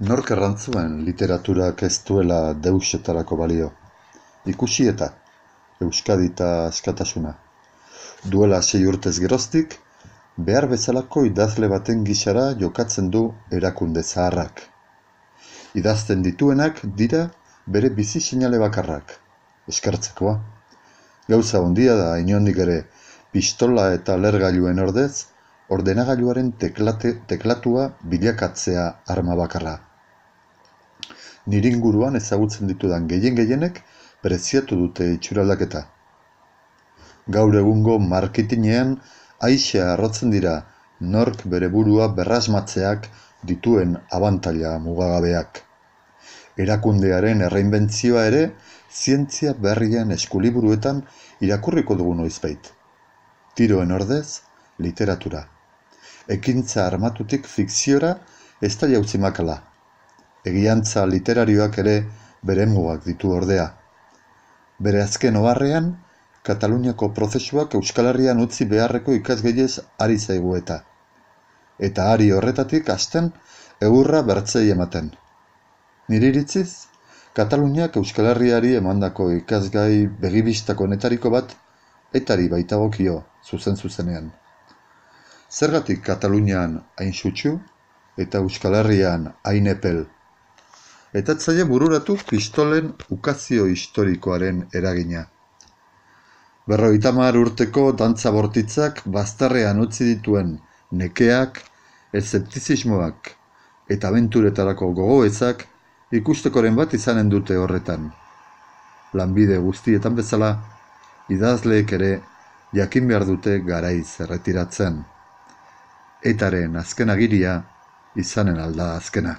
Nork errantzuen literaturak ez duela deusetarako balio? Ikusi eta Euskadita askatasuna. Duela 6 urtez geroztik, behar bezalako idazle baten gisara jokatzen du erakunde zaharrak. Idazten dituenak dira bere bizi seinale bakarrak, eskertzekoa. Gauza handia da inondik ere pistola eta lehergailuen ordez, ordenagailuaren teklatua bilakatzea arma bakarra. Nire inguruan ezagutzen ditudan gehienek preziatu dute itxuraldaketa. Gaur egungo marketinean aise arrotzen dira nork bere burua berrasmatzeak dituen abantaila mugagabeak. Erakundearen erreinbentzioa ere zientzia berrien eskuliburuetan irakurriko dugu noizbait. Tiroen ordez, literatura. Ekintza armatutik fikziora ez da jauzi makala. Egiantza literarioak ere bere mugak ditu ordea. Bere azken oharrean, Kataluniako prozesuak Euskal Herrian utzi beharreko ikasgeilez ari zaigu eta ari horretatik hasten egurra bertzei ematen. Nire iritziz, Kataluniak Euskal Herriari emandako ikasgai begibistako netariko bat etari baitagokio zuzenean. Zergatik Katalunian hain sutsu eta Euskal Herrian hain epel? Eta etzaile bururatu pistolen ukazio historikoaren eragina. 50 urteko dantza bortitzak bazterrean utzi dituen nekeak, eszeptizismoak eta abenturetarako gogoetzak ikustekoren bat izanen dute horretan. Lanbide guztietan bezala, idazleek ere jakin behar dute garaiz erretiratzen. Etaren azken agiria izanen alda azkena.